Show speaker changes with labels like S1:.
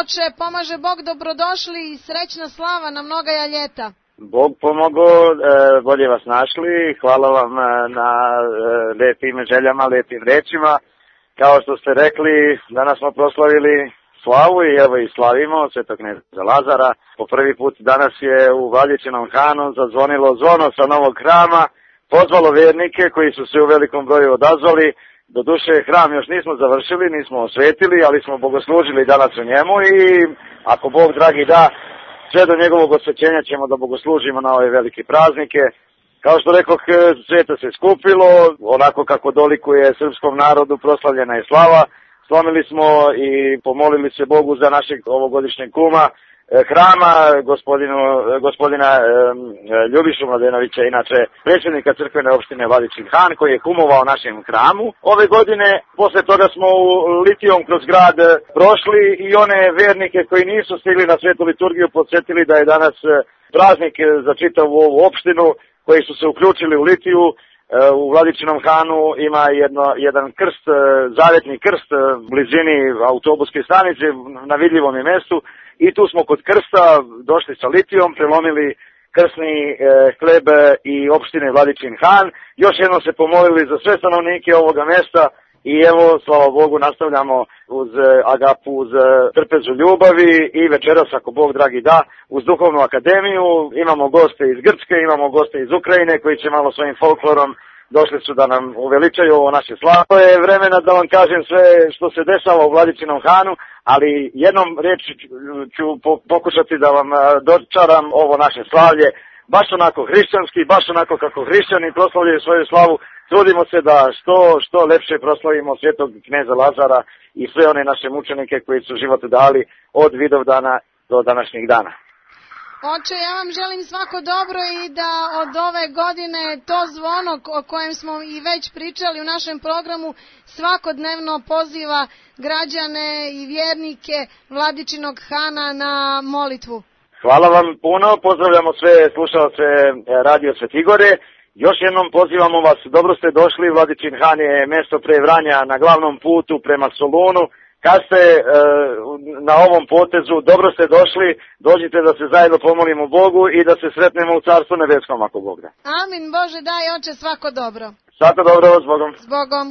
S1: Oče, pomaže Bog, dobrodošli i srećna slava na mnogaja ljeta.
S2: Bog pomogao, bolje vas našli, hvala vam na lepim željama, lepim rečima. Kao što ste rekli, danas smo proslavili slavu i evo i slavimo Svetog kneza Lazara. Po prvi put danas je u Vladičinom Hanu zazvonilo zvono sa novog hrama, pozvalo vjernike koji su se u velikom broju odazvali. Doduše, hram još nismo završili, nismo osvetili, ali smo bogoslužili danas u njemu i ako Bog dragi da, sve do njegovog osvećenja ćemo da bogoslužimo na ove velike praznike. Kao što rekoh, sveta se skupilo, onako kako dolikuje srpskom narodu, proslavljena je slava. Slomili smo i pomolili se Bogu za našeg ovogodišnjeg kuma hrama, gospodina Ljubišu Mladenovića, inače predsjednika crkvene opštine Vladičin Han, koji je kumovao našem hramu. Ove godine, posle toga smo u litijom kroz grad prošli i one vernike koji nisu stigli na svetu liturgiju podsjetili da je danas praznik za čitavu ovu opštinu, koji su se uključili u litiju. U Vladičinom Hanu ima jedan krst, zavetni krst u blizini autobuske stanice na vidljivom je mestu i tu smo kod krsta došli sa litijom, prelomili krsni hleb i opštine Vladičin Han. Još jednom se pomolili za sve stanovnike ovoga mesta i evo, slava Bogu, nastavljamo uz agapu, uz trpezu ljubavi i večeras, ako Bog dragi da, uz duhovnu akademiju. Imamo goste iz Grčke, imamo goste iz Ukrajine koji će malo svojim folklorom došli su da nam uveličaju ovo naše slavo. To je vremena da vam kažem sve što se dešava u Vladičinom Hanu, ali jednom reći ću pokušati da vam dočaram ovo naše slavlje, baš onako hrišćanski, baš onako kako hrišćani proslavljaju svoju slavu. Trudimo se da što lepše proslavimo Svetog kneza Lazara i sve one naše mučenike koji su život dali od Vidovdana do današnjeg dana.
S1: Oče, ja vam želim svako dobro i da od ove godine to zvono o kojem smo i već pričali u našem programu svakodnevno poziva građane i vjernike Vladičinog Hana na molitvu.
S2: Hvala vam puno, pozdravljamo sve slušalce Radio Svetigore. Još jednom pozivamo vas, dobro ste došli, Vladičin Han je mesto pre Vranja na glavnom putu prema Solunu. Kad ste na ovom potezu, dobro ste došli, dođite da se zajedno pomolimo Bogu i da se sretnemo u Carstvu nebeskom, ako Bog da.
S1: Amin, Bože daj, Oče, svako dobro.
S2: Svako dobro, s Bogom.
S1: S Bogom.